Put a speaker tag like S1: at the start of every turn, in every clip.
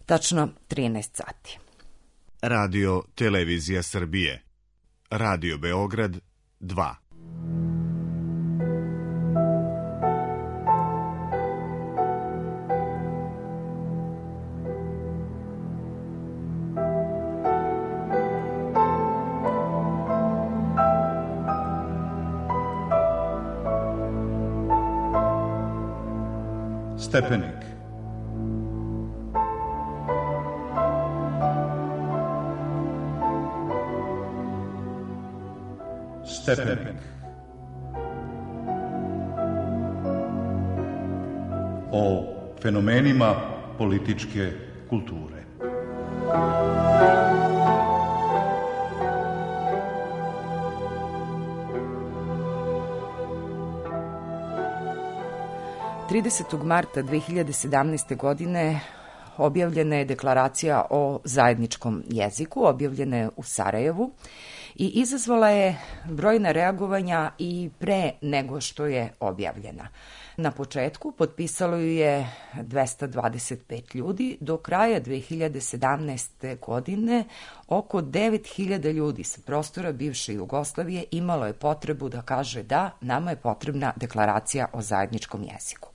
S1: tačno 13 sati.
S2: Radio Televizija Srbije. Radio Beograd 2.
S3: Stepenik. Stepenik. O fenomenima političke kulture.
S1: Marta 2017. godine objavljena je deklaracija o zajedničkom jeziku, objavljena je u Sarajevu i izazvala je brojna reagovanja i pre nego što je objavljena. Na početku potpisalo ju je 225 ljudi, do kraja 2017. godine oko 9.000 ljudi sa prostora bivše Jugoslavije imalo je potrebu da kaže da, nama je potrebna deklaracija o zajedničkom jeziku.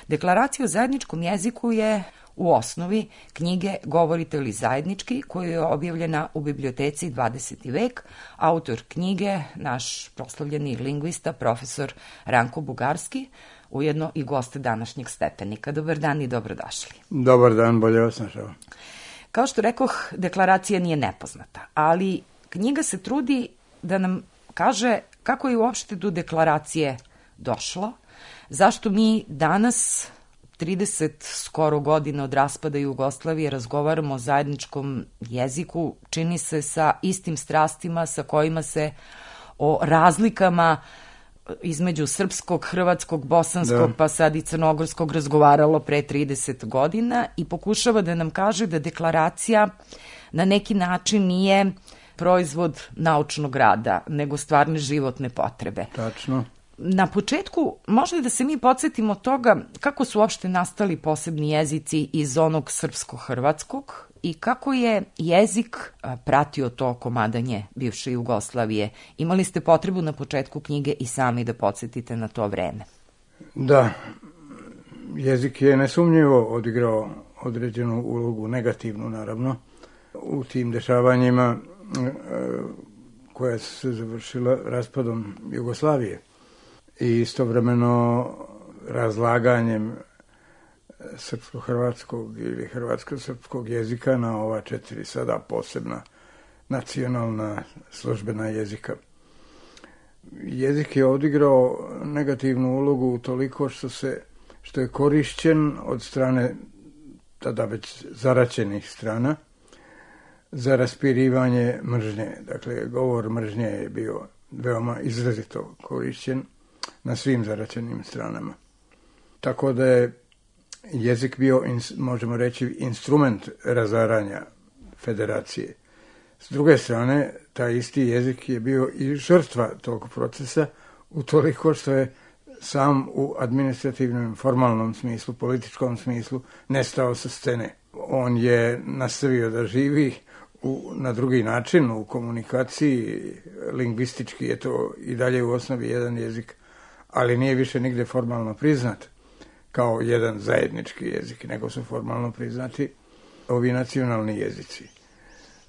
S1: Deklaracija o zajedničkom jeziku je u osnovi knjige Govorite li zajednički, koja je objavljena u biblioteci 20. vek. Autor knjige, naš proslavljeni lingvista, profesor Ranko Bugarski, ujedno i goste današnjeg Stepenika. Dobar dan i dobrodošli.
S4: Dobar dan, bolje vas našao.
S1: Kao što rekoh, deklaracija nije nepoznata, ali knjiga se trudi da nam kaže kako je uopšte do deklaracije došlo, zašto mi danas, 30 skoro godina od raspada Jugoslavije, razgovaramo o zajedničkom jeziku, čini se sa istim strastima sa kojima se o razlikama između srpskog, hrvatskog, bosanskog, pa sad i crnogorskog razgovaralo pre 30 godina i pokušava da nam kaže da deklaracija na neki način nije proizvod naučnog rada, nego stvarne životne potrebe.
S4: Tačno.
S1: Na početku možda da se mi podsjetimo toga kako su uopšte nastali posebni jezici iz onog srpsko-hrvatskog i kako je jezik pratio to komadanje bivše Jugoslavije. Imali ste potrebu na početku knjige i sami da podsjetite na to vreme.
S4: Da, jezik je nesumnjivo odigrao određenu ulogu, negativnu naravno, u tim dešavanjima koja su se završila raspadom Jugoslavije i istovremeno razlaganjem srpsko-hrvatskog ili hrvatsko-srpskog jezika na ova 4 sada posebna nacionalna službena jezika. Jezik je odigrao negativnu ulogu toliko što je korišćen od strane tada već zaraćenih strana za raspirivanje mržnje. Dakle, govor mržnje je bio veoma izrazito korišćen na svim zaraćenim stranama. Tako da je jezik bio, možemo reći, instrument razaranja federacije. S druge strane, taj isti jezik je bio i žrtva tog procesa, utoliko što je sam u administrativnom, formalnom smislu, političkom smislu, nestao sa scene. On je nastavio da živi na drugi način, u komunikaciji, lingvistički je to i dalje u osnovi jedan jezik, ali nije više nigde formalno priznat kao jedan zajednički jezik, nego su formalno priznati ovi nacionalni jezici.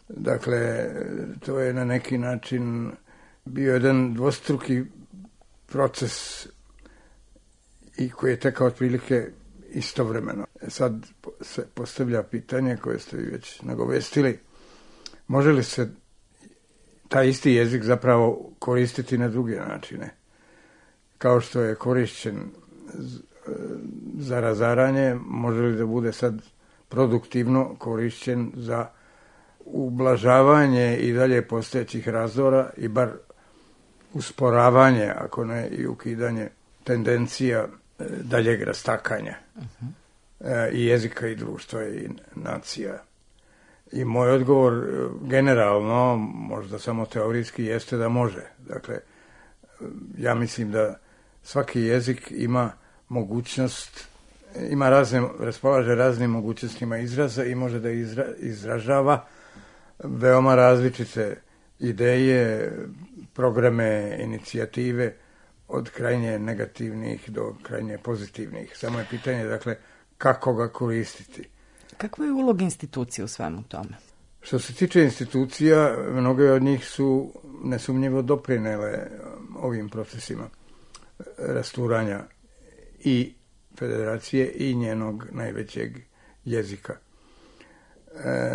S4: Dakle, to je na neki način bio jedan dvostruki proces i koji je tekao otprilike istovremeno. Sad se postavlja pitanje koje ste već nagovestili, može li se taj isti jezik zapravo koristiti na druge načine? Kao što je korišćen za razaranje, može li da bude sad produktivno korišćen za ublažavanje i dalje postojećih razdora i bar usporavanje, ako ne i ukidanje tendencija daljeg rastakanja i jezika i društva i nacija. I moj odgovor generalno, možda samo teorijski, jeste da može. Dakle, ja mislim da svaki jezik ima mogućnost raspolaže raznim mogućnostima izraza i može da izražava veoma različite ideje, programe, inicijative, od krajnje negativnih do krajnje pozitivnih. Samo je pitanje, dakle, kako ga koristiti.
S1: Kakva je uloga institucija u svemu tome?
S4: Što se tiče institucija, mnoge od njih su nesumnjivo doprinele ovim procesima rasturanja i federacije i njenog najvećeg jezika.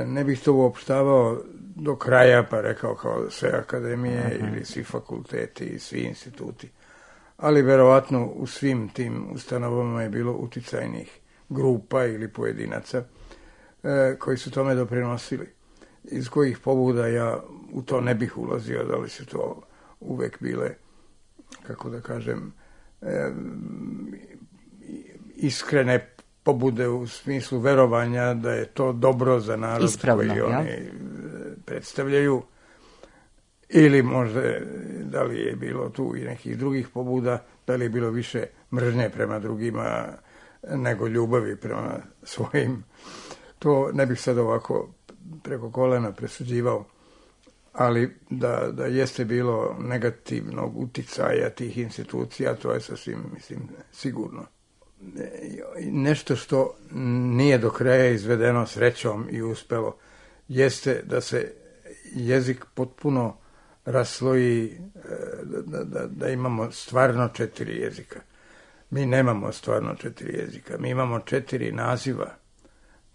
S4: Ne bih to uopštavao do kraja, pa rekao kao sve akademije ili svi fakulteti i svi instituti. Ali verovatno u svim tim ustanovama je bilo uticajnih grupa ili pojedinaca koji su tome doprinosili. Iz kojih pobuda ja u to ne bih ulazio, da li su to uvek bile, kako da kažem, iskrene pobude u smislu verovanja da je to dobro za narod ispravno, koji oni predstavljaju, ili možda da li je bilo tu i nekih drugih pobuda, da li je bilo više mržnje prema drugima nego ljubavi prema svojim. To ne bih sad ovako preko kolena presuđivao, ali da jeste bilo negativnog uticaja tih institucija, to je sasvim, mislim, sigurno. Nešto što nije do kraja izvedeno srećom i uspelo, jeste da se jezik potpuno rasloji, da imamo stvarno 4 jezika. Mi nemamo stvarno 4 jezika, mi imamo 4 naziva,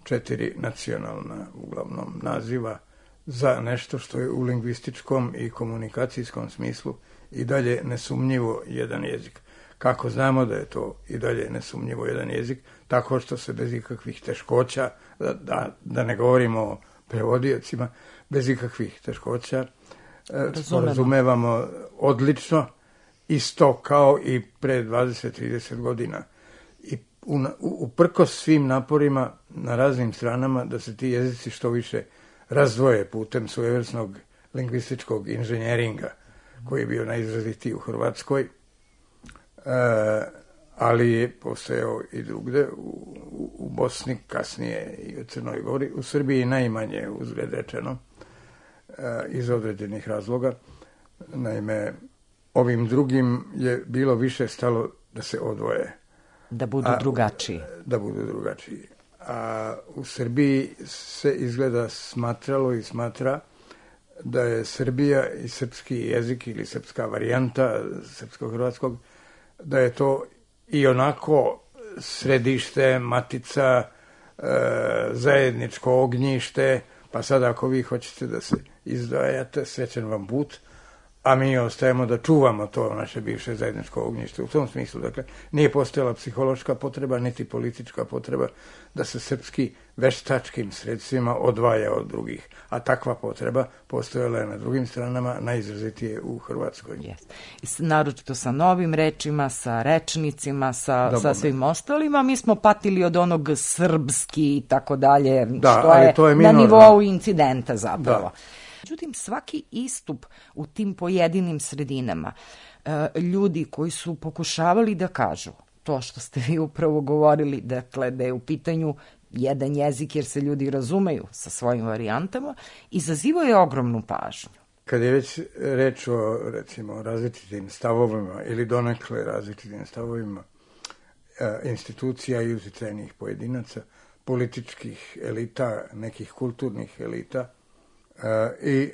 S4: 4 nacionalna, uglavnom, naziva za nešto što je u lingvističkom i komunikacijskom smislu i dalje nesumnjivo jedan jezik. Kako znamo da je to i dalje nesumnjivo jedan jezik? Tako što se bez ikakvih teškoća, da ne govorimo o prevodiocima, bez ikakvih teškoća razumevamo odlično, isto kao i pre 20-30 godina. I uprkos svim naporima na raznim stranama da se ti jezici što više razdvoje putem svojevrsnog lingvističkog inženjeringa koji je bio najizrazitiji u Hrvatskoj, ali je postojao i drugde, u Bosni, kasnije i u Crnoj Gori, u Srbiji najmanje, uzgled rečeno, iz određenih razloga. Naime, ovim drugim je bilo više stalo da se odvoje.
S1: Da budu drugačiji.
S4: Da budu drugačiji. A u Srbiji se izgleda smatralo i smatra da je Srbija i srpski jezik ili srpska varijanta srpsko-hrvatskog, da je to i onako središte, matica, zajedničko ognjište, pa sad ako vi hoćete da se izdvajate, srećan vam put, a mi ostajemo da čuvamo to naše bivše zajedničko ognjište. U tom smislu, dakle, nije postojala psihološka potreba, niti politička potreba da se srpski veštačkim sredstvima odvaja od drugih. A takva potreba postojala je na drugim stranama, najizrazitije u Hrvatskoj.
S1: Yes. Naročito sa novim rečima, sa rečnicima, sa svim ostalima. Mi smo patili od onog srpski i tako dalje, što je na nivou incidenta zapravo. Da. Međutim, svaki istup u tim pojedinim sredinama, ljudi koji su pokušavali da kažu to što ste vi upravo govorili, dakle, da je u pitanju jedan jezik jer se ljudi razumeju sa svojim varijantama, izazivao je ogromnu pažnju.
S4: Kad je već reč o, recimo, različitim stavovima ili donekle različitim stavovima institucija i uticajnih pojedinaca, političkih elita, nekih kulturnih elita, i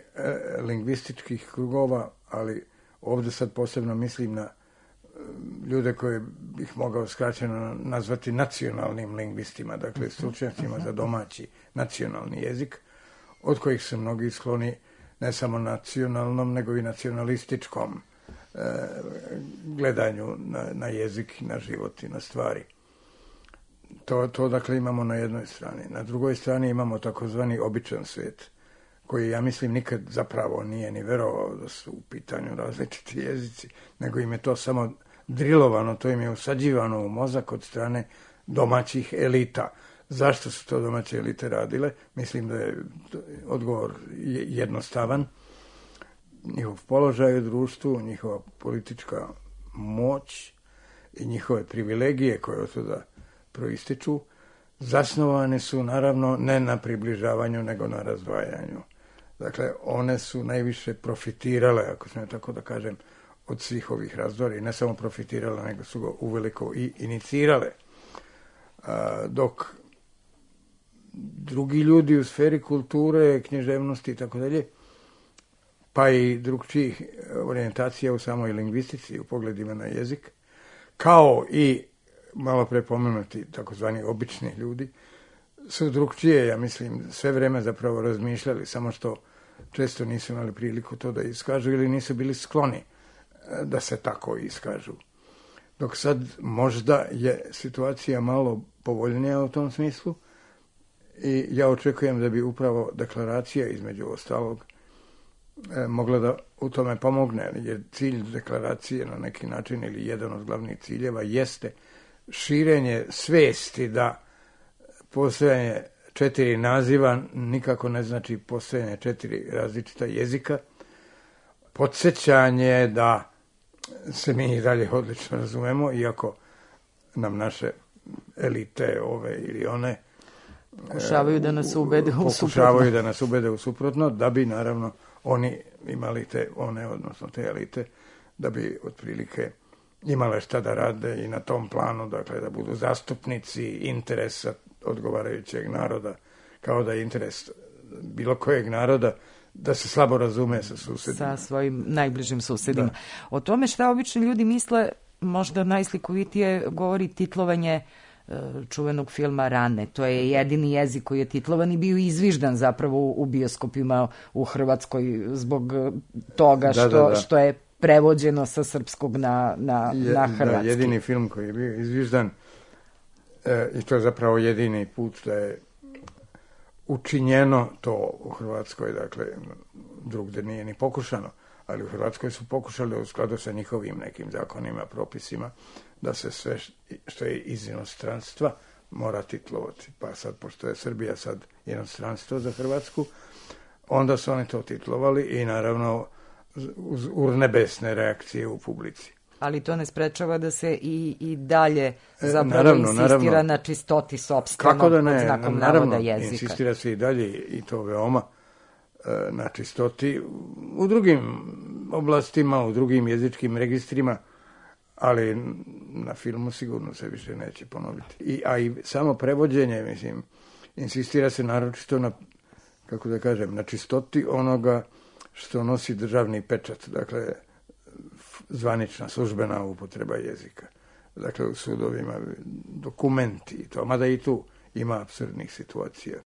S4: lingvističkih krugova, ali ovdje sad posebno mislim na ljude koje bih mogao skraćeno nazvati nacionalnim lingvistima, dakle stručnjacima za domaći nacionalni jezik, od kojih su mnogi skloni ne samo nacionalnom, nego i nacionalističkom gledanju na jezik, na život i na stvari. To dakle imamo na jednoj strani. Na drugoj strani imamo takozvani običan svijet, koji, ja mislim, nikad zapravo nije ni verovao da su u pitanju različiti jezici, nego im je to samo drilovano, to im je usađivano u mozak od strane domaćih elita. Zašto su to domaće elite radile? Mislim da je odgovor jednostavan. Njihov položaj u društvu, njihova politička moć i njihove privilegije koje od toga proističu, zasnovane su naravno ne na približavanju, nego na razdvajanju. Dakle, one su najviše profitirale, ako sam tako da kažem, od svih ovih razdora i ne samo profitirale, nego su ga uveliko i inicirale. Dok drugi ljudi u sferi kulture, književnosti i tako dalje, pa i drugčijih orijentacija u samoj lingvistici, u pogledima na jezik, kao i malo pre pomenuti takozvani obični ljudi, su drugčije, ja mislim, sve vreme zapravo razmišljali, samo što često nisu imali priliku to da iskažu ili nisu bili skloni da se tako iskažu. Dok sad možda je situacija malo povoljnija u tom smislu i ja očekujem da bi upravo deklaracija, između ostalog, mogla da u tome pomogne, jer cilj deklaracije na neki način ili jedan od glavnih ciljeva jeste širenje svesti da postojanje 4 naziva nikako ne znači postojanje 4 različita jezika, podsjećanje da se mi i dalje odlično razumemo, iako nam naše elite ove ili one
S1: pokušavaju da nas ubede u suprotno.
S4: Pokušavaju da nas ubede u suprotno, da bi naravno oni imali odnosno te elite, da bi otprilike imale šta da rade i na tom planu, dakle da budu zastupnici interesa odgovarajućeg naroda, kao da je interes bilo kojeg naroda da se slabo razume sa susedima.
S1: Sa svojim najbližim susedima. Da. O tome šta obični ljudi misle, možda najslikovitije govori titlovanje čuvenog filma Rane. To je jedini jezik koji je titlovan i bio izviždan zapravo u bioskopima u Hrvatskoj zbog toga što je prevođeno sa srpskog na hrvatski.
S4: Da, jedini film koji je bio izviždan i to je zapravo jedini put da je učinjeno to u Hrvatskoj, dakle drugde nije ni pokušano, ali u Hrvatskoj su pokušali u skladu sa njihovim nekim zakonima, propisima, da se sve što je iz inostranstva mora titlovati. Pa sad, pošto je Srbija sad inostranstvo za Hrvatsku, onda su oni to titlovali i naravno uz urnebesne reakcije u publici.
S1: Ali to ne sprečava da se i dalje zapravo insistira na čistoti sopstvenog pod znakom navoda jezika.
S4: Insistira se i dalje i to veoma na čistoti u drugim oblastima, u drugim jezičkim registrima, ali na filmu sigurno se više neće ponoviti. A i samo prevođenje, mislim, insistira se naročito na, kako da kažem, na čistoti onoga što nosi državni pečat, dakle, zvanična službena upotreba jezika. Dakle, u sudovima dokumenti i to, mada i tu ima apsurdnih situacija.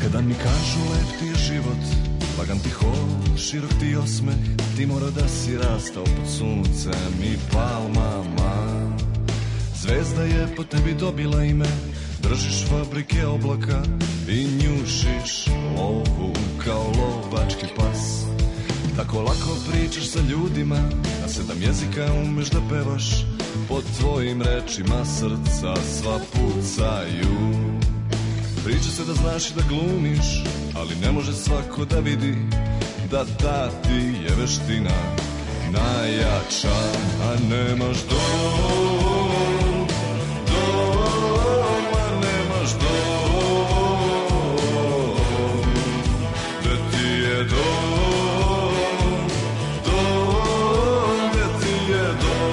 S5: Kada mi kažu lep ti je život, lagan ti hod, širok ti osmeh, ti mora da si rastao pod suncem i palmama. Zvezda je po tebi dobila ime, držiš fabrike oblaka i njušiš lovu kao lovački pas. Tako lako pričaš sa ljudima, na 7 jezika umeš da pevaš, pod tvojim rečima srca sva pucaju. Priča se da znaš i da glumiš, ali ne može svako da vidi da ta ti je veština najjača. A nemaš dom, a nemaš dom, gde ti je dom, gde ti je dom.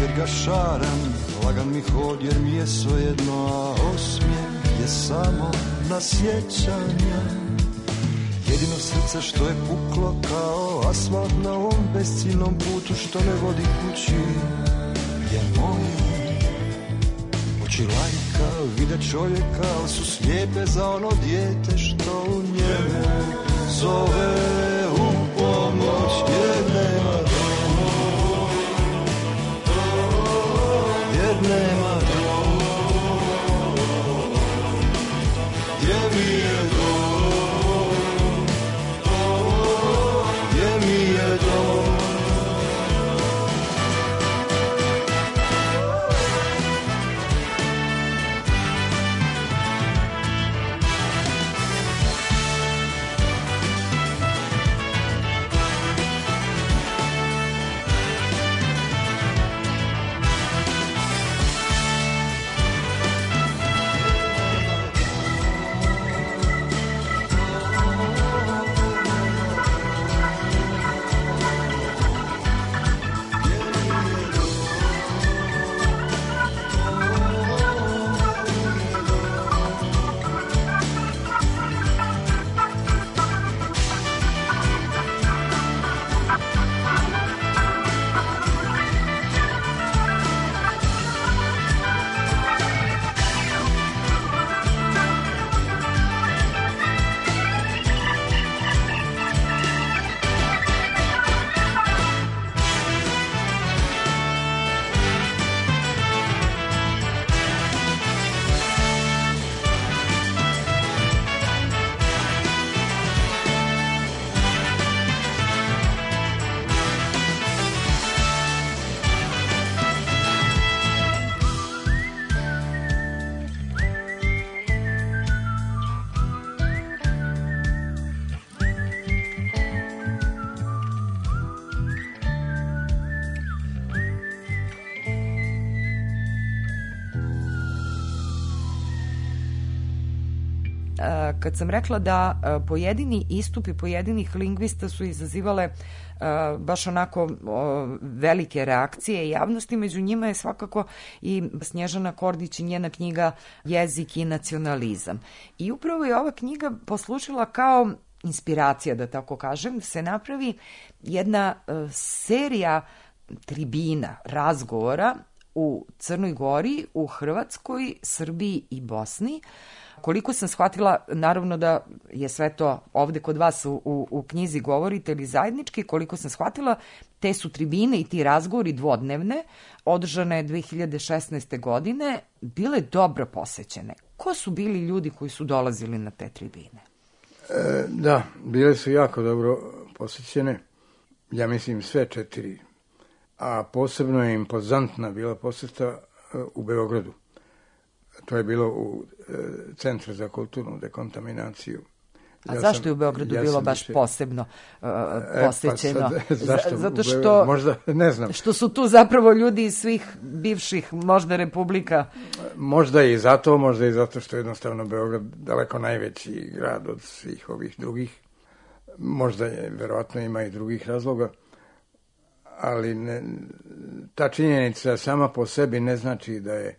S5: Jer ga šaram, lagan mi hod jer mi je svejedno, a osmijeh je samo na sjećanja. jedino srce što je puklo kao asfalt na ovom besciljnom putu što ne vodi kući je moje. Oči lajka vide čovjeka, ali su slijepe za ono dijete što u njemu zove u pomoć, jer nema doma, jer nema doma, gdje mi je dom, gdje mi je dom.
S1: Kad sam rekla da pojedini istupi pojedinih lingvista su izazivale baš onako velike reakcije javnosti, među njima je svakako i Snježana Kordić i njena knjiga Jezik i nacionalizam. I upravo je ova knjiga poslužila kao inspiracija, da tako kažem, se napravi jedna serija tribina, razgovora u Crnoj Gori, u Hrvatskoj, Srbiji i Bosni. Koliko sam shvatila, naravno da je sve to ovde kod vas u knjizi govorite ili zajednički, koliko sam shvatila, te su tribine i ti razgovori dvodnevne, održane 2016. godine, bile dobro posećene. Ko su bili ljudi koji su dolazili na te tribine?
S4: Da, bile su jako dobro posećene, ja mislim sve 4, a posebno je impozantna bila poseta u Beogradu. To je bilo u Centru za kulturnu dekontaminaciju.
S1: A zašto je u Beogradu bilo baš posebno posećeno?
S4: Zašto?
S1: Zato što,
S4: možda, ne znam.
S1: Što su tu zapravo ljudi iz svih bivših možda republika.
S4: Možda i zato što je jednostavno Beograd daleko najveći grad od svih ovih drugih. Možda je, verovatno ima i drugih razloga, ali ta činjenica sama po sebi ne znači da je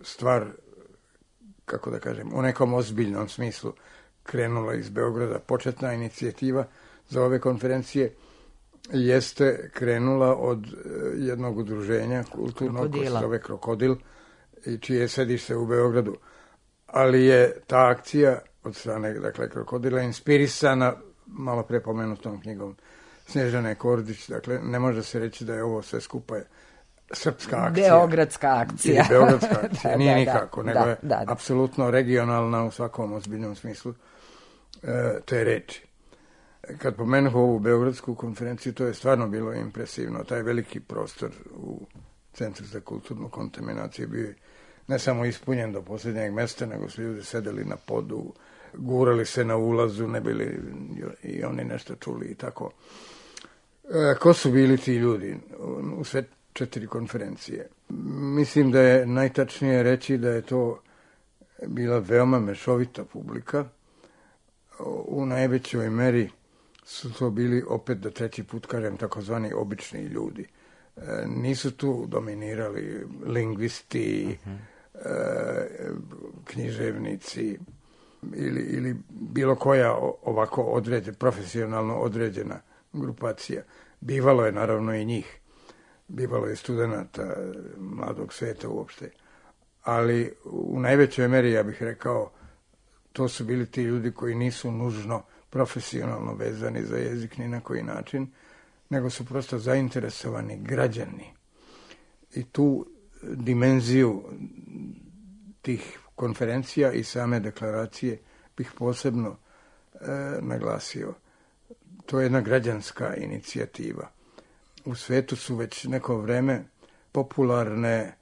S4: stvar, kako da kažem, u nekom ozbiljnom smislu krenula iz Beograda. Početna inicijativa za ove konferencije jeste krenula od jednog udruženja kulturnog koje se zove Krokodil i čije je sedište u Beogradu. Ali je ta akcija od strane, dakle, Krokodila inspirisana malo pre pomenutom knjigom Snježane Kordić. Dakle, ne može se reći da je ovo sve skupa srpska akcija.
S1: Beogradska akcija.
S4: Beogradska akcija, nije nikako, nego je apsolutno regionalna u svakom ozbiljnom smislu te reči. Kad pomenuh ovu beogradsku konferenciju, to je stvarno bilo impresivno. Taj veliki prostor u Centru za kulturnu kontaminaciju bio je ne samo ispunjen do posljednjeg mesta, nego su ljudi sedeli na podu, gurali se na ulazu, ne bili i oni nešto čuli i tako. Ko su bili ti ljudi u sve 4 konferencije? Mislim da je najtačnije reći da je to bila veoma mešovita publika. U najvećoj meri su to bili, opet da treći put kažem, takozvani obični ljudi. Nisu tu dominirali lingvisti, književnici, ili bilo koja ovako profesionalno određena grupacija. Bivalo je naravno i njih. Bivalo je studenata mladog sveta uopšte. Ali u najvećoj meri, ja bih rekao, to su bili ti ljudi koji nisu nužno profesionalno vezani za jezik ni na koji način, nego su prosto zainteresovani građani. I tu dimenziju tih konferencija i same deklaracije bih posebno naglasio. To je jedna građanska inicijativa. U svetu su već neko vreme popularne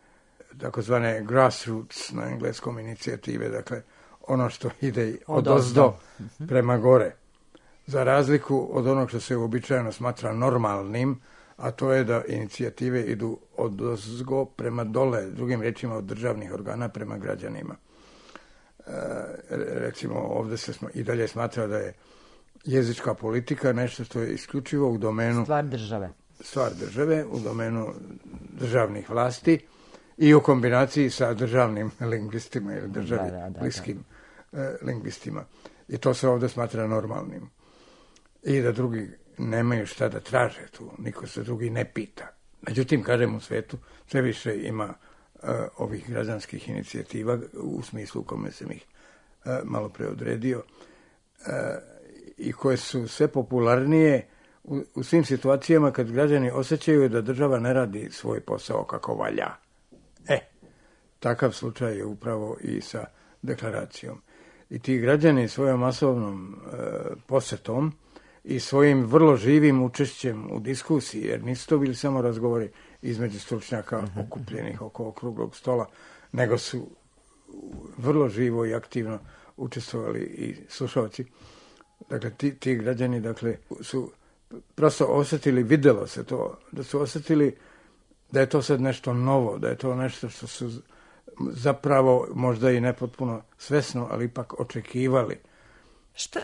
S4: takozvane grassroots na engleskom inicijative, dakle ono što ide odozdo prema gore. Za razliku od onog što se uobičajeno smatra normalnim, a to je da inicijative idu odozgo prema dole, drugim rečima od državnih organa prema građanima. Recimo, ovdje se i dalje smatra da je jezička politika nešto što je isključivo u domenu stvar države, u domenu državnih vlasti i u kombinaciji sa državnim lingvistima ili bliskim lingvistima. I to se ovdje smatra normalnim. I da drugi nemaju šta da traže tu, niko se drugi ne pita. Međutim, kažem, u svetu sve više ima ovih građanskih inicijativa u smislu u kome sam ih malo pre odredio i koje su sve popularnije u svim situacijama kad građani osjećaju da država ne radi svoj posao kako valja. Takav slučaj je upravo i sa deklaracijom. I ti građani svojom masovnom posetom i svojim vrlo živim učešćem u diskusiji, jer nisu to bili samo razgovori između stručnjaka okupljenih oko okruglog stola, nego su vrlo živo i aktivno učestvovali i slušalci. Dakle, ti građani su prosto osjetili, vidjelo se to, da su osjetili da je to sad nešto novo, da je to nešto što su zapravo možda i nepotpuno svesno, ali ipak očekivali.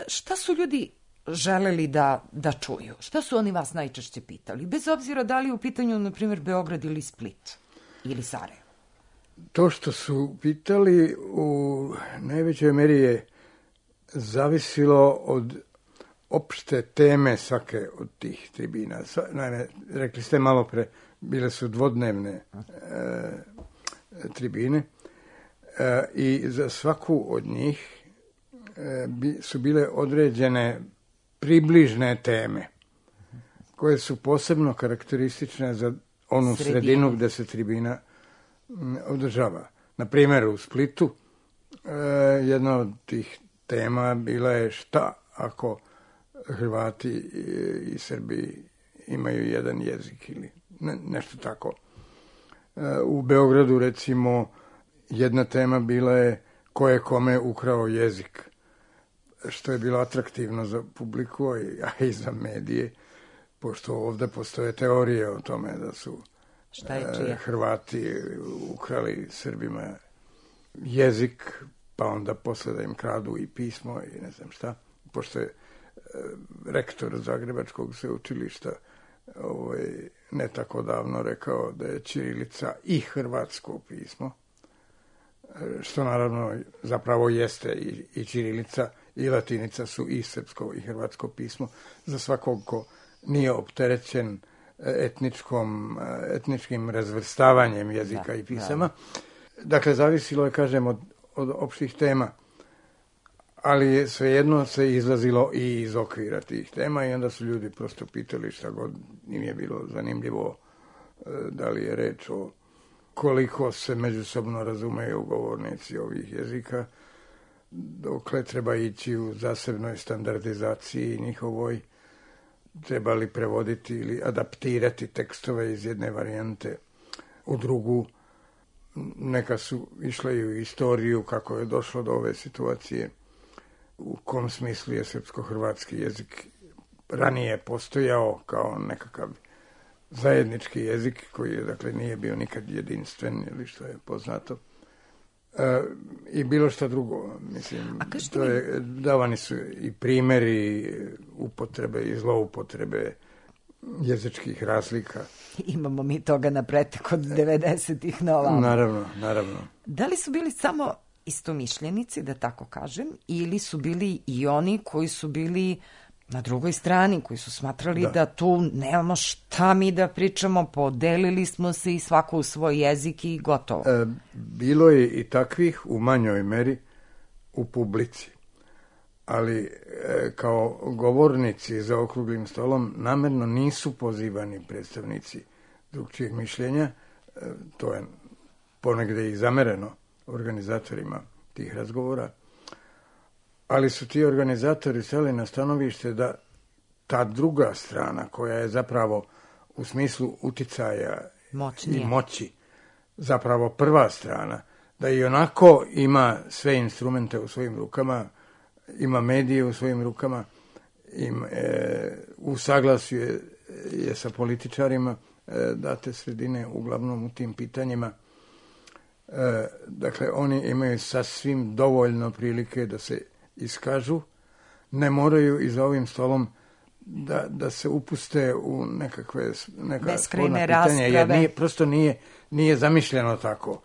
S1: Šta su ljudi želeli da čuju? Šta su oni vas najčešće pitali? Bez obzira da li u pitanju, na primjer, Beograd ili Split ili Sarajevo.
S4: To što su pitali u najvećoj meri je zavisilo od opšte teme svake od tih tribina. Naime, rekli ste malo pre, bile su dvodnevne tribine i za svaku od njih su bile određene približne teme koje su posebno karakteristične za onu sredinu gde se tribina održava. Na primjer, u Splitu jedna od tih tema bila je šta ako Hrvati i Srbi imaju jedan jezik ili nešto tako. U Beogradu, recimo, jedna tema bila je ko je kome ukrao jezik, što je bilo atraktivno za publiku, a i za medije, pošto ovdje postoje teorije o tome da su Hrvati ukrali Srbima jezik, pa onda posle da im kradu i pismo i ne znam šta, pošto je rektor Zagrebačkog sveučilišta ne tako davno rekao da je ćirilica i hrvatsko pismo, što naravno zapravo jeste i ćirilica i latinica su i srpsko i hrvatsko pismo za svakog ko nije opterećen etničkim razvrstavanjem jezika i pisama. Dakle, zavisilo je, kažem, od opštih tema, ali je svejedno se izlazilo i iz okvira tih tema i onda su ljudi prosto pitali šta god im je bilo zanimljivo, da li je reč o koliko se međusobno razumeju govornici ovih jezika, dokle treba ići u zasebnoj standardizaciji njihovoj, treba li prevoditi ili adaptirati tekstove iz jedne varijante u drugu. Neka su išle i u istoriju kako je došlo do ove situacije, u kom smislu je srpsko-hrvatski jezik ranije postojao kao nekakav zajednički jezik koji je, dakle, nije bio nikad jedinstven ili što je poznato. I bilo šta drugo, mislim, davani su i primjeri upotrebe i zloupotrebe jezičkih razlika.
S1: Imamo mi toga na pretek od 90-ih na ovamo.
S4: Naravno.
S1: Da li su bili samo istomišljenici, da tako kažem, ili su bili i oni koji su bili na drugoj strani, koji su smatrali da tu nemamo šta mi da pričamo, podelili smo se i svako u svoj jezik i gotovo.
S4: Bilo je i takvih u manjoj meri u publici, ali kao govornici za okruglim stolom namerno nisu pozivani predstavnici drugčijeg mišljenja. To je ponegde i zamereno organizatorima tih razgovora, ali su ti organizatori stali na stanovište da ta druga strana, koja je zapravo u smislu uticaja i moći zapravo prva strana, da i onako ima sve instrumente u svojim rukama, ima medije u svojim rukama, u saglasju je sa političarima date sredine, uglavnom u tim pitanjima. Dakle, oni imaju sasvim dovoljno prilike da se iskažu, ne moraju i za ovim stolom da se upuste u neka sporna pitanja, jer prosto nije zamišljeno tako.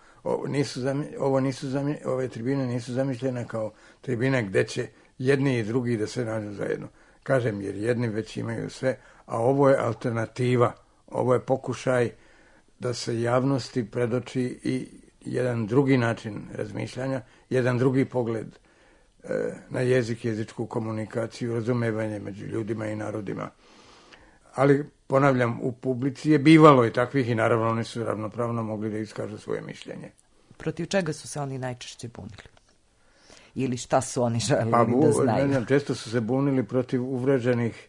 S4: Ove tribine nisu zamišljene kao tribine gde će jedni i drugi da se nađu zajedno. Kažem, jer jedni već imaju sve, a ovo je alternativa, ovo je pokušaj da se javnosti predoči i jedan drugi način razmišljanja, jedan drugi pogled na jezik, jezičku komunikaciju, razumevanje među ljudima i narodima. Ali, ponavljam, u publici je bivalo i takvih i naravno oni su ravnopravno mogli da iskažu svoje mišljenje.
S1: Protiv čega su se oni najčešće bunili? Ili šta su oni želeli da znaju?
S4: Često su se bunili protiv uvreženih,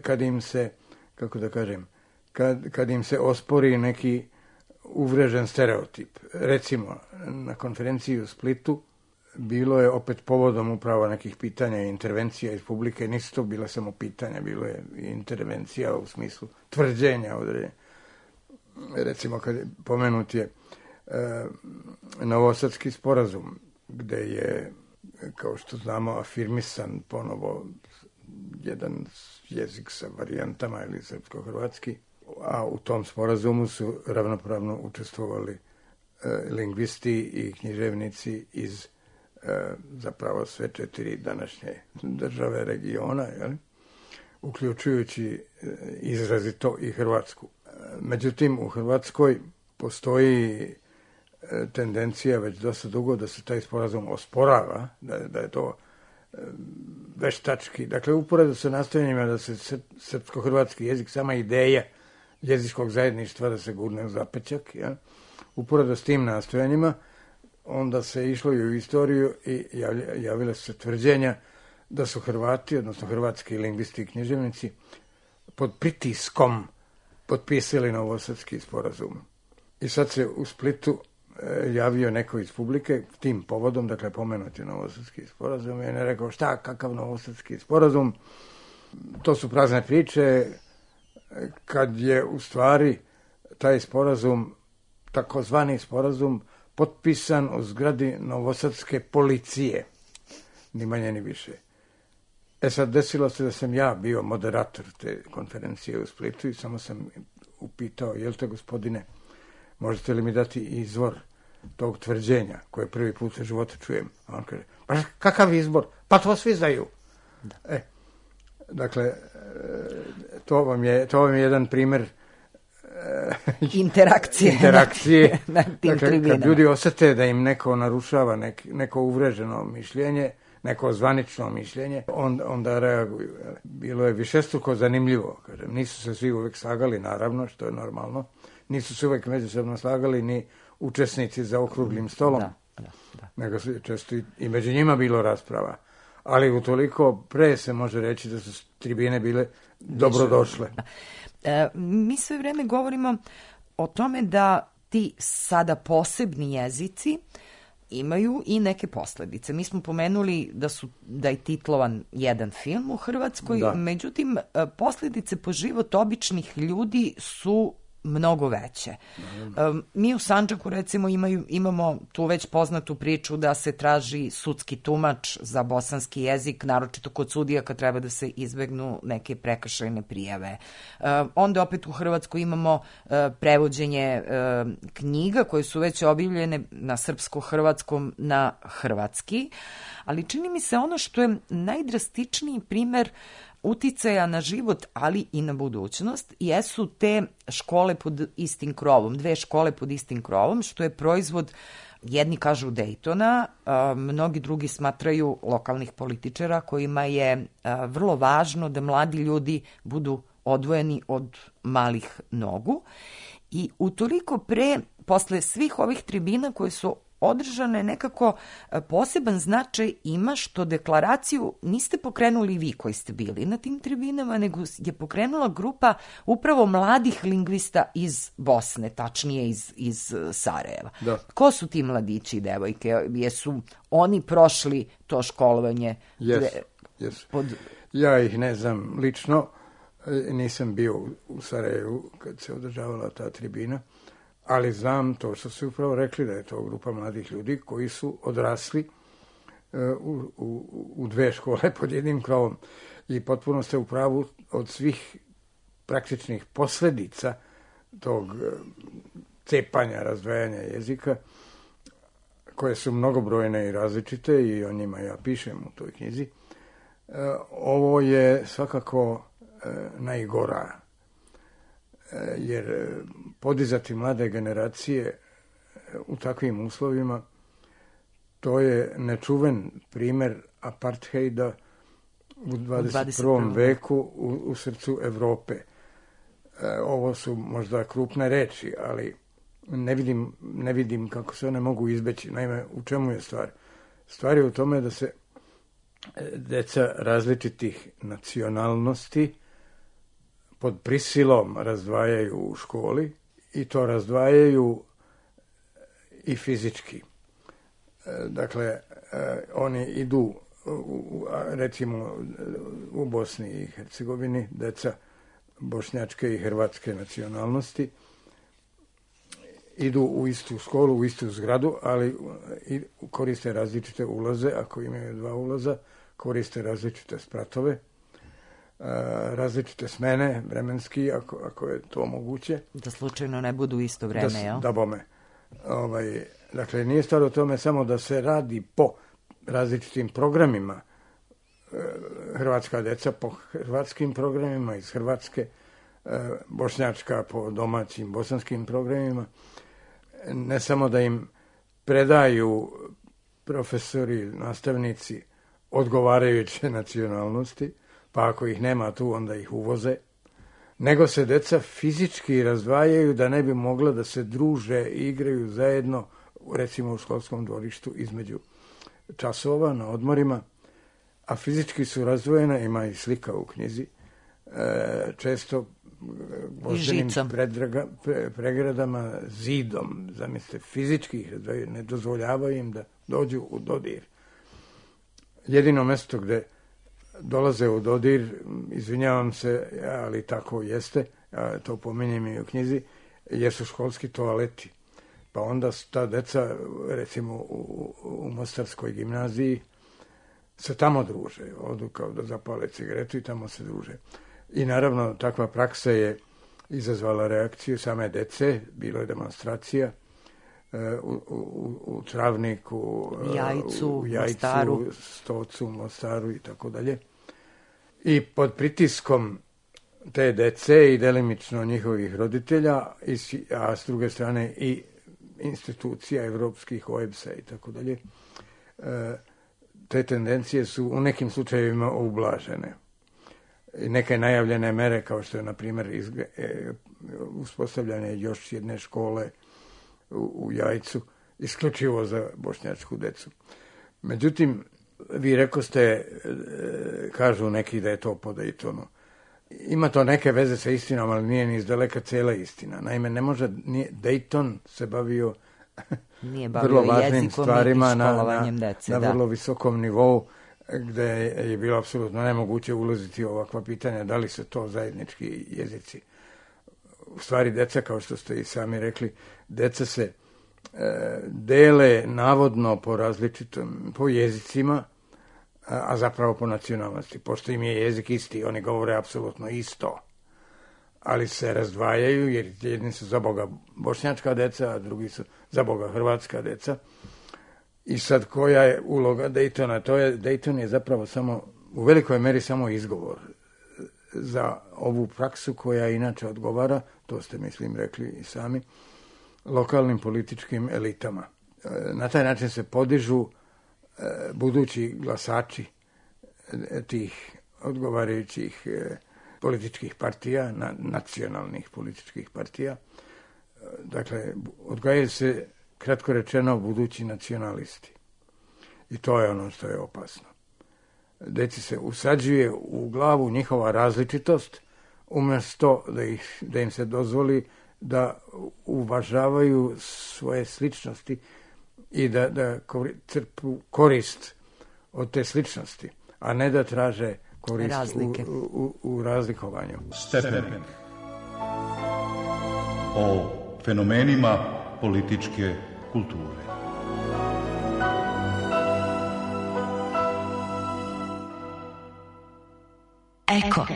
S4: kad im se, kako da kažem, kad im se ospori neki uvrežen stereotip. Recimo, na konferenciji u Splitu bilo je opet povodom upravo nekih pitanja i intervencija iz publike. Nisu to bila samo pitanja, bilo je i intervencija u smislu tvrđenja određenja. Recimo, kad pomenut je Novosadski sporazum, gde je, kao što znamo, afirmisan ponovo jedan jezik sa varijantama ili srpsko-hrvatski, a u tom sporazumu su ravnopravno učestvovali lingvisti i književnici iz zapravo sve 4 današnje države regiona, jeli? Uključujući izrazito i Hrvatsku. Međutim, u Hrvatskoj postoji tendencija već dosta dugo da se taj sporazum osporava, da je to veštački. Dakle, uporedo sa nastojanjima da se srpsko-hrvatski jezik, sama ideja jezičkog zajedništva da se gurne u zapećak, ja? Uporedo s tim nastojanjima, onda se išlo i u istoriju i javile su se tvrđenja da su Hrvati, odnosno hrvatski lingvisti i književnici, pod pritiskom potpisali Novosadski sporazum. I sad se u Splitu javio neko iz publike tim povodom, dakle pomenuti Novosadski sporazum, i on je rekao šta, kakav Novosadski sporazum, to su prazne priče, kad je u stvari taj sporazum, takozvani sporazum, potpisan u zgradi Novosadske policije, ni manje ni više. Sad desilo se da sam ja bio moderator te konferencije u Splitu i samo sam upitao, jel te gospodine, možete li mi dati izvor tog tvrđenja koje prvi put u životu čujem? A on kaže, pa kakav izbor? Pa to svi znaju. Da. Dakle, to vam je jedan primer
S1: interakcije na tim
S4: dakle,
S1: tribinama.
S4: Kad ljudi osete da im neko narušava neko uvreženo mišljenje, neko zvanično mišljenje, onda reaguju. Bilo je višestruko zanimljivo. Kažem, nisu se svi uvek slagali, naravno, što je normalno. Nisu se uvek međusobno slagali ni učesnici za okruglim stolom. Da. Nego su često i među njima bilo rasprava. Ali utoliko pre se može reći da su tribine bile dobrodošle.
S1: Mi sve vreme govorimo o tome da ti sada posebni jezici imaju i neke posledice. Mi smo pomenuli da je titlovan jedan film u Hrvatskoj, međutim, posledice po život običnih ljudi su mnogo veće. Mi u Sandžaku recimo imamo tu već poznatu priču da se traži sudski tumač za bosanski jezik, naročito kod sudija kad treba da se izbegnu neke prekršajne prijave. Onda opet u Hrvatskoj imamo prevođenje knjiga koje su već objavljene na srpsko-hrvatskom na hrvatski, ali čini mi se ono što je najdrastičniji primer uticaja na život, ali i na budućnost, jesu te škole pod istim krovom, 2 škole pod istim krovom, što je proizvod, jedni kažu Daytona, mnogi drugi smatraju lokalnih političara kojima je vrlo važno da mladi ljudi budu odvojeni od malih nogu. I utoliko posle svih ovih tribina koje su održane, nekako poseban značaj ima što deklaraciju niste pokrenuli vi koji ste bili na tim tribinama, nego je pokrenula grupa upravo mladih lingvista iz Bosne, tačnije iz Sarajeva.
S4: Da.
S1: Ko su ti mladići i devojke? Jesu oni prošli to školovanje?
S4: Jesu. Ja ih ne znam lično, nisam bio u Sarajevu kad se održavala ta tribina, ali znam to što su upravo rekli, da je to grupa mladih ljudi koji su odrasli u 2 škole pod jednim krovom. I potpuno ste u pravu, od svih praktičnih posljedica tog cepanja, razdvajanja jezika, koje su mnogobrojne i različite, i o njima ja pišem u toj knjizi, ovo je svakako najgora, jer podizati mlade generacije u takvim uslovima, to je nečuven primjer apartheida u 21. veku u srcu Evrope. Ovo su možda krupne reči, ali ne vidim kako se one mogu izbeći. Naime, u čemu je stvar? Stvar je u tome da se deca različitih nacionalnosti pod prisilom razdvajaju u školi, i to razdvajaju i fizički. Dakle, oni idu, recimo u Bosni i Hercegovini, deca bošnjačke i hrvatske nacionalnosti idu u istu školu, u istu zgradu, ali koriste različite ulaze. Ako imaju 2 ulaza, koriste različite spratove, različite smene vremenski, ako je to moguće.
S1: Da slučajno ne budu isto vreme, jel?
S4: Da bome. Dakle, nije stvar o tome samo da se radi po različitim programima, hrvatska deca po hrvatskim programima iz Hrvatske, bošnjačka po domaćim bosanskim programima. Ne samo da im predaju profesori, nastavnici odgovarajuće nacionalnosti, pa ako ih nema tu, onda ih uvoze, nego se deca fizički razdvajaju da ne bi mogla da se druže i igraju zajedno, recimo u školskom dvorištu između časova na odmorima, a fizički su razdvojena, ima i slika u knjizi, često gvozdenim pregradama, zidom, zamislite, fizički ih razdvajaju, ne dozvoljavaju im da dođu u dodir. Jedino mesto gde dolaze u dodir, izvinjavam se, ali tako jeste, to pominjem i u knjizi, jesu školski toaleti. Pa onda ta deca, recimo u Mostarskoj gimnaziji, se tamo druže, odu kao da zapale cigaretu i tamo se druže. I naravno, takva praksa je izazvala reakciju same dece, bilo je demonstracija u Travniku, u Jajcu,
S1: Mostaru.
S4: Stocu, Mostaru i tako dalje. I pod pritiskom te dece i delimično njihovih roditelja, a s druge strane i institucija evropskih, OEBS-a i tako dalje, te tendencije su u nekim slučajevima ublažene. I neke najavljene mere, kao što je, na primjer, uspostavljanje još jedne škole u Jajcu, isključivo za bošnjačku decu. Međutim, vi rekoste, kažu neki da je to po Daytonu. Ima to neke veze sa istinom, ali nije ni izdaleka cijela istina. Naime, ne može, Dayton se bavio vrlo važnim stvarima na vrlo visokom nivou, gde je bilo apsolutno nemoguće ulaziti u ovakva pitanja, da li su to zajednički jezici u stvari deca, kao što ste i sami rekli, deca se dele navodno po različitom, po jezicima, a zapravo po nacionalnosti. Pošto im je jezik isti, oni govore apsolutno isto, ali se razdvajaju, jer jedni su za Boga bošnjačka deca, a drugi su za Boga hrvatska deca. I sad koja je uloga Daytona? Dayton je zapravo samo, u velikoj meri samo izgovor za ovu praksu koja inače odgovara, to ste mislim rekli i sami, lokalnim političkim elitama. Na taj način se podižu budući glasači tih odgovarajućih političkih partija, nacionalnih političkih partija. Dakle, odgajaju se, kratko rečeno, budući nacionalisti. I to je ono što je opasno. Deci se usađuje u glavu njihova različitost, umjesto da im se dozvoli da uvažavaju svoje sličnosti i da crpu korist od te sličnosti, a ne da traže korist u razlikovanju.
S3: Stepenik. O fenomenima političke kulture.
S6: Eko.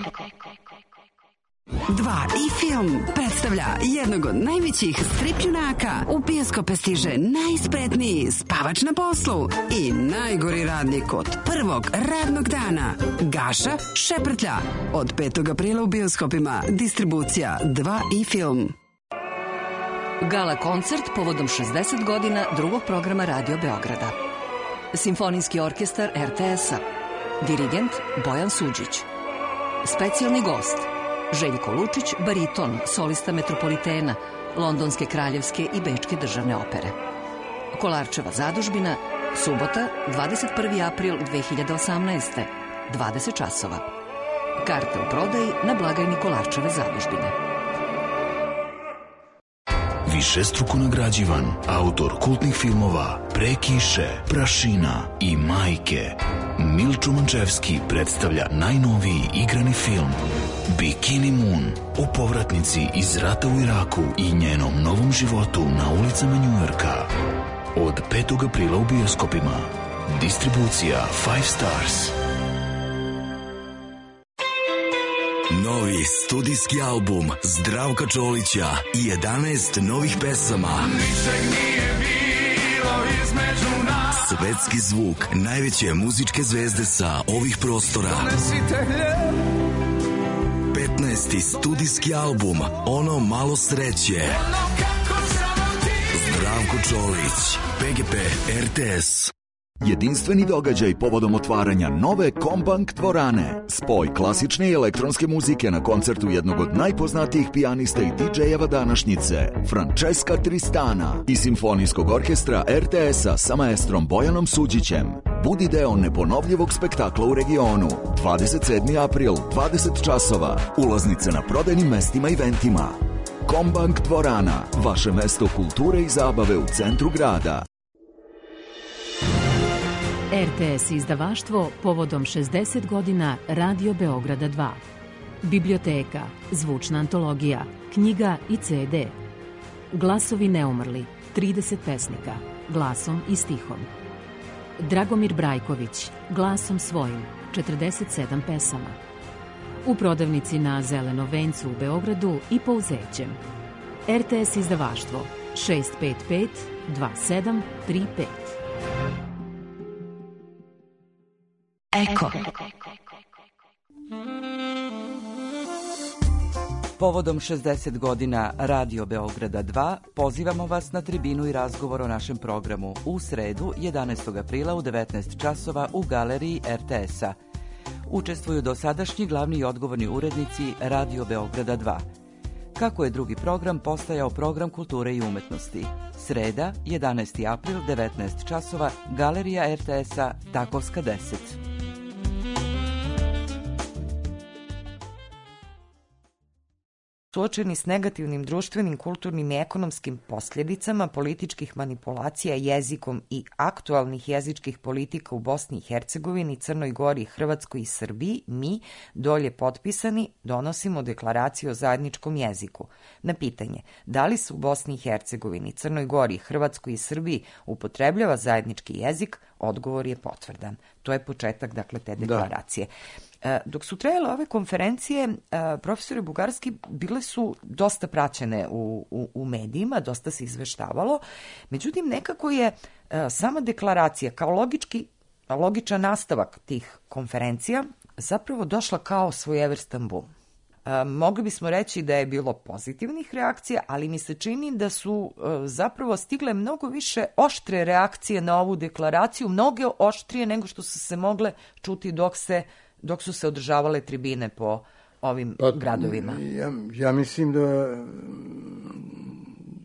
S6: 2 i film predstavlja jednog od najvećih stripljunaka. U bioskope stiže najspretniji spavač na poslu i najgori radnik od prvog radnog dana. Gaša Šeprtlja. Od 5. aprila u bioskopima. Distribucija 2 i film.
S7: Gala koncert povodom 60 godina drugog programa Radio Beograda. Simfonijski orkestar RTS-a. Dirigent Bojan Suđić. Specijalni gost Željko Lučić, bariton, solista Metropolitena, Londonske kraljevske i Bečke državne opere. Kolarčeva zadužbina, subota, 21. april 2018. 20 časova. Karte u prodaji na blagajni Kolarčeve zadužbine.
S8: Višestruko nagrađivan, autor kultnih filmova Pre kiše, Prašina i Majke, Milčo Mančevski predstavlja najnoviji igrani film Bikini Moon o povratnici iz rata u Iraku i njenom novom životu na ulicama Njujorka. Od 5. aprila u bioskopima. Distribucija 5 Stars.
S9: Novi studijski album Zdravka Čolića i 11 novih pesama.
S5: Ničeg nije bilo između nas.
S9: Svetski zvuk najveće muzičke zvezde sa ovih prostora. 15. studijski album Ono malo sreće. Zdravko Čolić, PGP RTS.
S10: Jedinstveni događaj povodom otvaranja nove Kombank dvorane. Spoj klasične i elektronske muzike na koncertu jednog od najpoznatijih pijanista i DJ-eva današnjice, Francesca Tristana, i simfonijskog orkestra RTS-a sa maestrom Bojanom Suđićem. Budi deo neponovljivog spektakla u regionu. 27. april, 20 časova. Ulaznice na prodajnim mestima i eventima. Kombank dvorana, vaše mesto kulture i zabave u centru grada.
S11: RTS izdavaštvo povodom 60 godina Radio Beograda 2. Biblioteka, zvučna antologija, knjiga i CD. Glasovi neumrli, 30 pesnika, glasom i stihom. Dragomir Brajković, glasom svojim, 47 pesama. U prodavnici na Zelenom vencu u Beogradu i po Uzećem. RTS izdavaštvo 655 2735.
S6: Eko.
S1: Povodom 60 godina Radio Beograda 2 pozivamo vas na tribinu i razgovor o našem programu u sredu 11. aprila u 19 časova u galeriji RTS-a. Učestvuju dosadašnji glavni i odgovorni urednici Radio Beograda 2. Kako je drugi program postajao program kulture i umetnosti? Sreda, 11. april, 19 časova, galerija RTS-a, Takovska 10. suočeni s negativnim društvenim, kulturnim i ekonomskim posljedicama političkih manipulacija jezikom i aktualnih jezičkih politika u Bosni i Hercegovini, Crnoj Gori, Hrvatskoj i Srbiji, mi, dolje potpisani, donosimo deklaraciju o zajedničkom jeziku. Na pitanje da li se u Bosni i Hercegovini, Crnoj Gori, Hrvatskoj i Srbiji upotrebljava zajednički jezik, odgovor je potvrdan. To je početak, dakle, te deklaracije. Dok su trajale ove konferencije, profesore Bugarski, bile su dosta praćene u medijima, dosta se izveštavalo, međutim nekako je sama deklaracija kao logičan nastavak tih konferencija zapravo došla kao svojevrstan bum. Mogli bismo reći da je bilo pozitivnih reakcija, ali mi se čini da su zapravo stigle mnogo više oštre reakcije na ovu deklaraciju, mnoge oštrije nego što su se mogle čuti dok su se održavale tribine po ovim gradovima.
S4: Ja mislim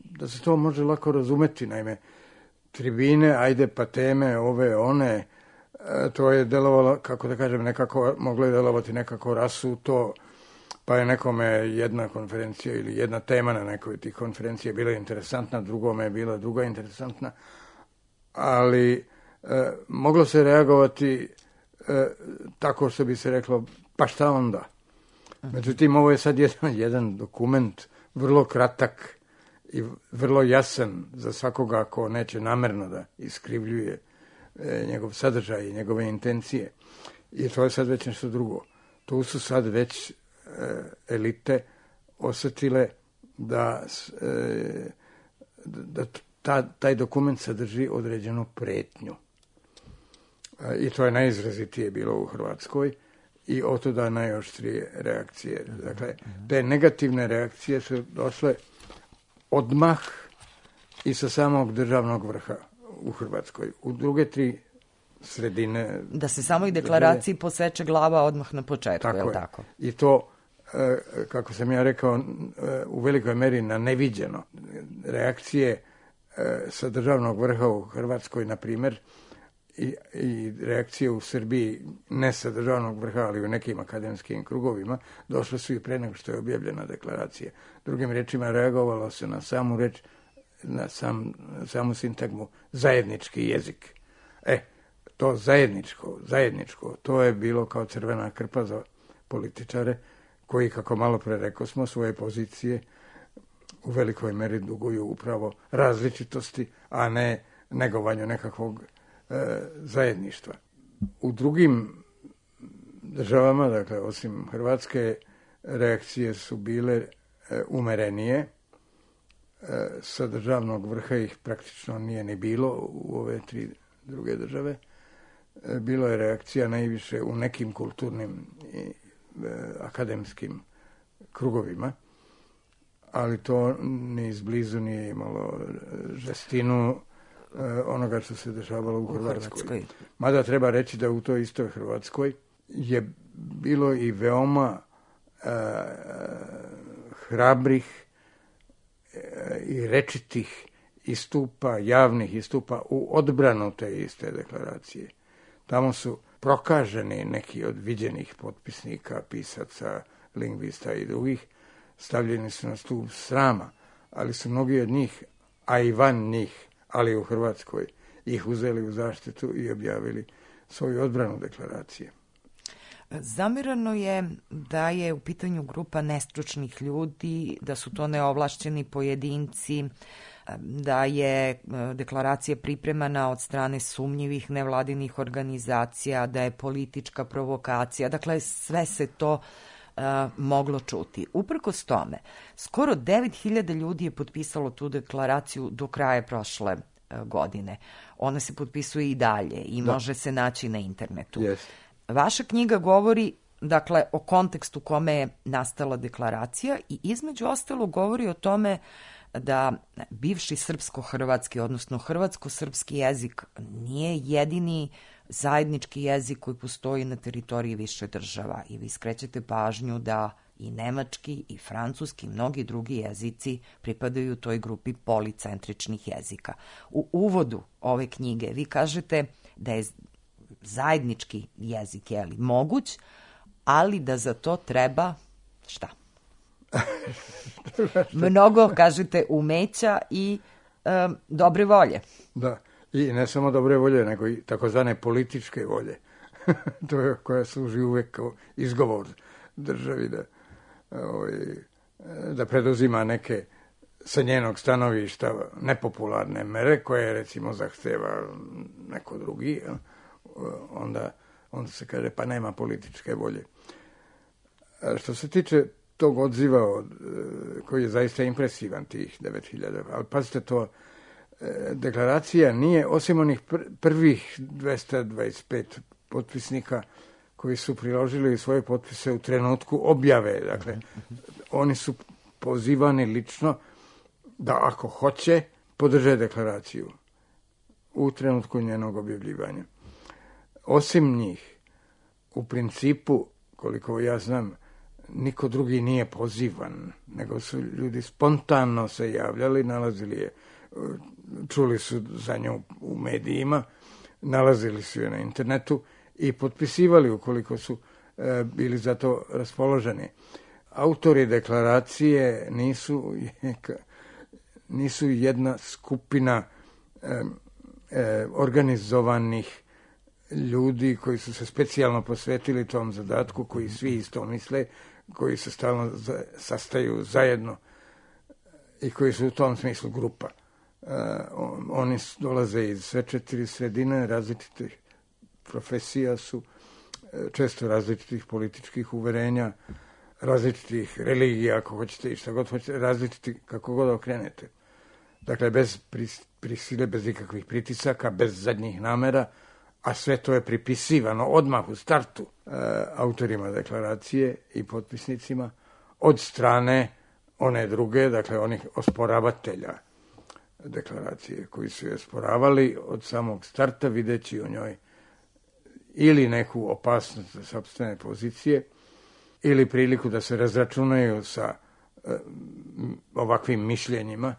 S4: da se to može lako razumeti, naime, tribine, ajde pa teme, ove, one, to je delovalo, kako da kažem, nekako, moglo je delovati nekako rasuto, pa je nekome jedna konferencija ili jedna tema na nekoj od tih konferencija bila interesantna, drugome je bila druga interesantna, ali moglo se reagovati tako što bi se reklo, pa šta onda? Međutim, ovo je sad jedan dokument vrlo kratak i vrlo jasan za svakoga ko neće namerno da iskrivljuje njegov sadržaj i njegove intencije. I to je sad već nešto drugo. Tu su sad već elite osjetile da taj dokument sadrži određenu pretnju. I to je najizrazitije bilo u Hrvatskoj i otuda najoštrije reakcije. Dakle, te negativne reakcije su došle odmah i sa samog državnog vrha u Hrvatskoj. U druge tri sredine...
S1: Da se samoj deklaraciji poseče glava odmah na početku, je li tako?
S4: I to, kako sam ja rekao, u velikoj meri na neviđeno. Reakcije sa državnog vrha u Hrvatskoj, na primjer, i reakcije u Srbiji, ne sa državnog vrha, ali u nekim akademskim krugovima, došle su i pre nego što je objavljena deklaracija. Drugim rečima, reagovalo se na samu reč, na samu sintagmu zajednički jezik. To zajedničko, to je bilo kao crvena krpa za političare koji, kako malo pre rekao smo, svoje pozicije u velikoj meri duguju upravo različitosti, a ne negovanju nekakvog zajedništva. U drugim državama, dakle osim Hrvatske, reakcije su bile umerenije. Sa državnog vrha ih praktično nije ni bilo u ove tri druge države. Bilo je reakcija najviše u nekim kulturnim i akademskim krugovima, ali to ni izblizu nije imalo žestinu onoga što se dešavalo u Hrvatskoj. Mada treba reći da u toj istoj Hrvatskoj je bilo i veoma hrabrih i rečitih istupa, javnih istupa u odbranu te iste deklaracije. Tamo su prokaženi neki od viđenih potpisnika, pisaca, lingvista i drugih, stavljeni su na stup srama, ali su mnogi od njih, a i van njih, ali u Hrvatskoj, ih uzeli u zaštitu i objavili svoju odbranu deklaracije.
S1: Zamerano je da je u pitanju grupa nestručnih ljudi, da su to neovlašćeni pojedinci, da je deklaracija pripremana od strane sumnjivih nevladinih organizacija, da je politička provokacija. Dakle, sve se to moglo čuti. Uprkos tome, skoro 9.000 ljudi je potpisalo tu deklaraciju do kraja prošle godine. Ona se potpisuje i dalje i može se naći na internetu.
S4: Yes.
S1: Vaša knjiga govori, dakle, o kontekstu kome je nastala deklaracija i između ostalo govori o tome da bivši srpsko-hrvatski, odnosno hrvatsko-srpski jezik nije jedini zajednički jezik koji postoji na teritoriji više država i vi skrećete pažnju da i nemački i francuski i mnogi drugi jezici pripadaju toj grupi policentričnih jezika. U uvodu ove knjige vi kažete da je zajednički jezik moguć, ali da za to treba šta? Mnogo, kažete, umeća i dobre volje.
S4: Da, i ne samo dobre volje, nego i takozvane političke volje. To je koja služi uvek kao izgovor državi da preduzima neke sa njenog stanovišta nepopularne mere koje recimo zahteva neko drugi, onda se kaže pa nema političke volje. Što se tiče tog odziva koji je zaista impresivan, tih 9000, ali pazite to, deklaracija nije, osim onih prvih 225 potpisnika koji su priložili svoje potpise u trenutku objave, dakle, oni su pozivani lično da ako hoće podrže deklaraciju u trenutku njenog objavljivanja. Osim njih, u principu, koliko ja znam, niko drugi nije pozivan, nego su ljudi spontano se javljali, nalazili je, čuli su za nju u medijima, nalazili su je na internetu i potpisivali ukoliko su bili za to raspoloženi. Autori deklaracije nisu jedna skupina organizovanih ljudi koji su se specijalno posvetili tom zadatku, koji svi isto misle, koji se stalno sastaju zajedno i koji su u tom smislu grupa. Oni dolaze iz sve 4 sredine, različitih profesija su, često različitih političkih uverenja, različitih religija, ako hoćete i šta god hoćete, različiti kako god okrenete. Dakle, bez prisile, bez ikakvih pritisaka, bez zadnjih namera, a sve to je pripisivano odmah u startu autorima deklaracije i potpisnicima od strane one druge, dakle onih osporavatelja deklaracije, koji su je osporavali od samog starta, videći u njoj ili neku opasnost za sopstvene pozicije, ili priliku da se razračunaju sa ovakvim mišljenjima,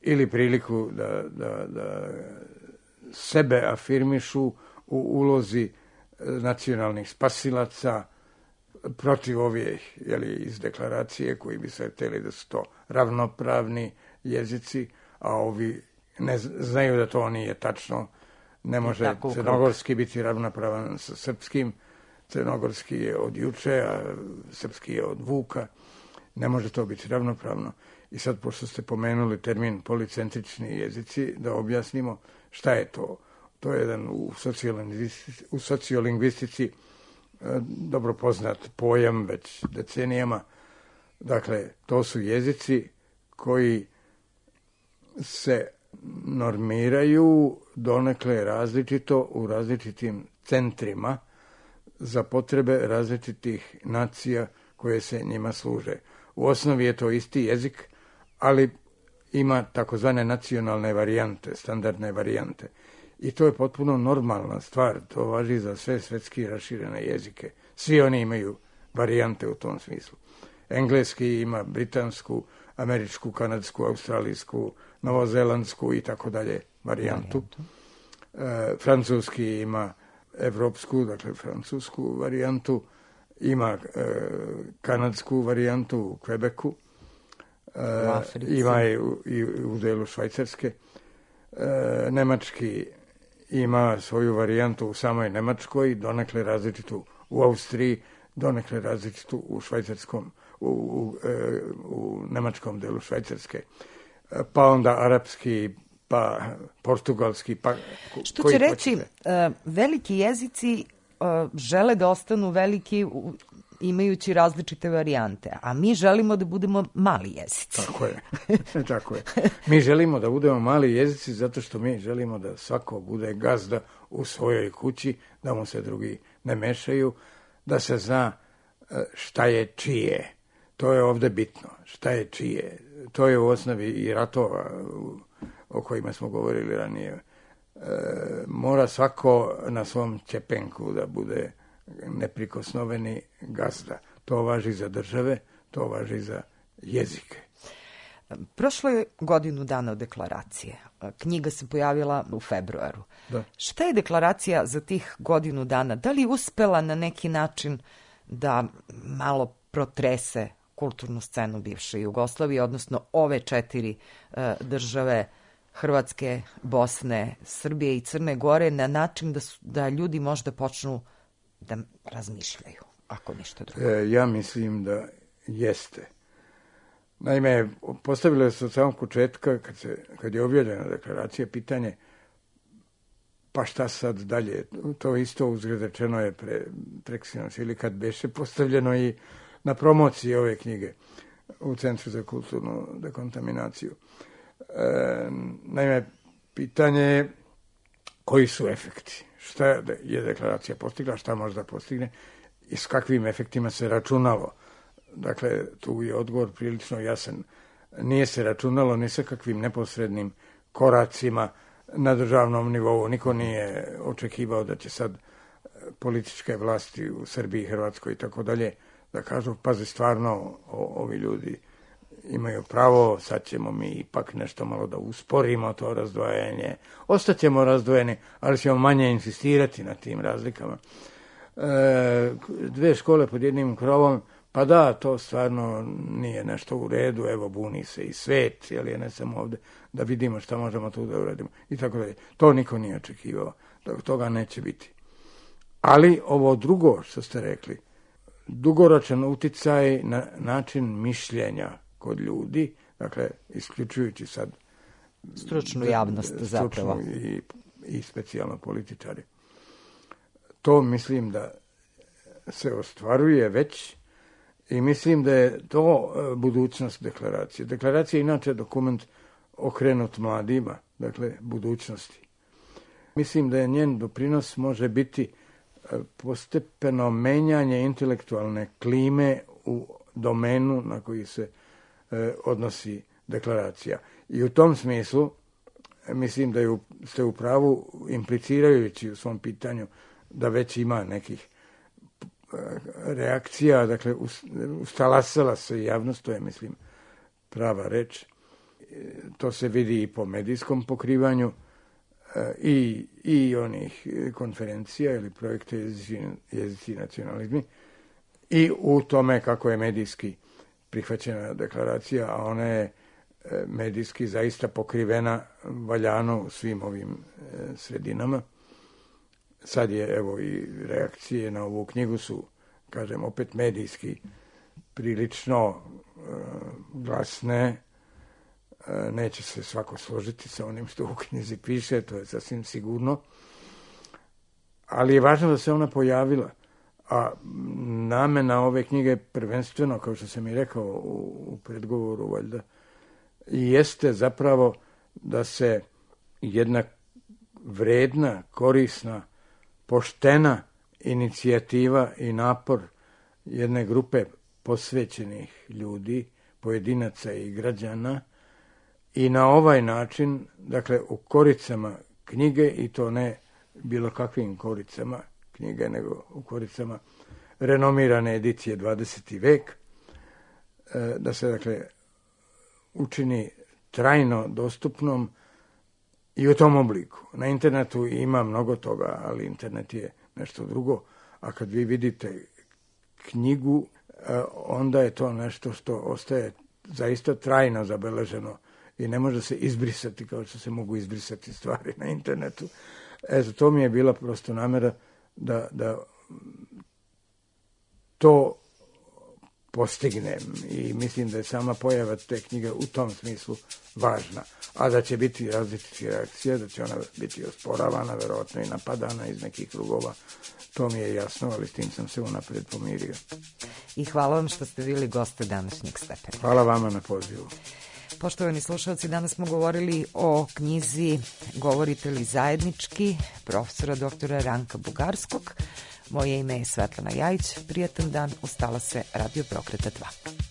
S4: ili priliku da sebe afirmišu u ulozi nacionalnih spasilaca protiv ovih iz deklaracije koji bi se htjeli da su to ravnopravni jezici, a ovi ne znaju da to nije tačno. Ne može crnogorski biti ravnopravan sa srpskim, crnogorski je od juče, a srpski je od Vuka. Ne može to biti ravnopravno. I sad, pošto ste pomenuli termin policentrični jezici, da objasnimo šta je to. To je jedan u sociolingvistici dobro poznat pojam već decenijama. Dakle, to su jezici koji se normiraju donekle različito u različitim centrima za potrebe različitih nacija koje se njima služe. U osnovi je to isti jezik, ali ima takozvane nacionalne varijante, standardne varijante. I to je potpuno normalna stvar, to važi za sve svetski raširene jezike. Svi oni imaju varijante u tom smislu. Engleski ima britansku, američku, kanadsku, australijsku, novozelandsku i tako dalje varijantu. Francuski ima evropsku, dakle francusku varijantu, ima kanadsku varijantu u Quebecu, ima i u delu Švajcarske. Nemački ima svoju varijantu u samoj Nemačkoj, donekle različitu u Austriji, donekle različitu u švajcarskom, u nemačkom delu Švajcarske. Pa onda arapski, pa portugalski, pa
S1: što će reći, veliki jezici žele da ostanu veliki imajući različite varijante, a mi želimo da budemo mali jezici.
S4: Tako je. Mi želimo da budemo mali jezici zato što mi želimo da svako bude gazda u svojoj kući, da mu se drugi ne mešaju, da se zna šta je čije. To je ovde bitno. Šta je čije? To je u osnovi i ratova o kojima smo govorili ranije. Mora svako na svom ćepenku da bude neprikosnoveni gazda. To važi za države, to važi za jezike.
S1: Prošlo je godinu dana od deklaracije. Knjiga se pojavila u februaru.
S4: Da.
S1: Šta je deklaracija za tih godinu dana? Da li je uspela na neki način da malo protrese kulturnu scenu bivše Jugoslavije, odnosno ove 4 države Hrvatske, Bosne, Srbije i Crne Gore, na način da ljudi možda počnu da razmišljaju, ako ništa drugo?
S4: Ja mislim da jeste. Naime, postavilo se od samog početka, kad je objavljena deklaracija, pitanje pa šta sad dalje? To isto uzgled rečeno je preksinoć ili kad beše postavljeno i na promociji ove knjige u Centru za kulturnu dekontaminaciju. Naime, pitanje je koji su efekti? Šta je deklaracija postigla, šta možda postigne i s kakvim efektima se računalo? Dakle, tu je odgovor prilično jasan. Nije se računalo ni sa kakvim neposrednim koracima na državnom nivou. Niko nije očekivao da će sad političke vlasti u Srbiji, Hrvatskoj i tako dalje da kažu, pazi, stvarno ovi ljudi imaju pravo, sad ćemo mi ipak nešto malo da usporimo to razdvajanje. Ostaćemo razdvojeni, ali ćemo manje insistirati na tim razlikama. 2 škole pod jednim krovom, pa da, to stvarno nije nešto u redu, evo buni se i svet, je ne samo ovde, da vidimo šta možemo tu da uradimo i tako dalje. To niko nije očekivao, da toga neće biti. Ali ovo drugo što ste rekli, dugoročan uticaj na način mišljenja kod ljudi, dakle, isključujući sad
S1: stručnu javnost zapravo
S4: i specijalno političari. To mislim da se ostvaruje već i mislim da je to budućnost deklaracije. Deklaracija je inače dokument okrenut mladima, dakle, budućnosti. Mislim da je njen doprinos može biti postepeno menjanje intelektualne klime u domenu na koji se odnosi deklaracija. I u tom smislu mislim da ste u pravu implicirajući u svom pitanju da već ima nekih reakcija, dakle ustalasala se javnost, to je mislim prava reč. To se vidi i po medijskom pokrivanju i onih konferencija ili projekta jezici i nacionalizmi i u tome kako je medijski prihvaćena deklaracija, a ona je medijski zaista pokrivena valjano u svim ovim sredinama. Sad je, evo, i reakcije na ovu knjigu su, kažem, opet medijski prilično glasne. Neće se svako složiti sa onim što u knjizi piše, to je sasvim sigurno. Ali je važno da se ona pojavila. A namena ove knjige prvenstveno, kao što sam i rekao u predgovoru, valjda, jeste zapravo da se jedna vredna, korisna, poštena inicijativa i napor jedne grupe posvećenih ljudi, pojedinaca i građana, i na ovaj način, dakle, u koricama knjige, i to ne bilo kakvim koricama knjige, nego u koricama renomirane edicije 20. vek, da se, dakle, učini trajno dostupnom i u tom obliku. Na internetu ima mnogo toga, ali internet je nešto drugo, a kad vi vidite knjigu, onda je to nešto što ostaje zaista trajno zabeleženo i ne može se izbrisati kao što se mogu izbrisati stvari na internetu. To mi je bila prosto namera da to postignem i mislim da je sama pojava te knjige u tom smislu važna, a da će biti različitih reakcija, da će ona biti osporavana, verovatno i napadana iz nekih krugova, to mi je jasno, ali s tim sam se unapred pomirio.
S1: I hvala vam što ste bili goste današnjeg Stepena.
S4: Hvala vama na pozivu.
S1: Poštovani slušalci, danas smo govorili o knjizi Govorite li zajednički, profesora doktora Ranka Bugarskog. Moje ime je Svetlana Jajić. Prijatan dan, ustala se Radio Beograda 2.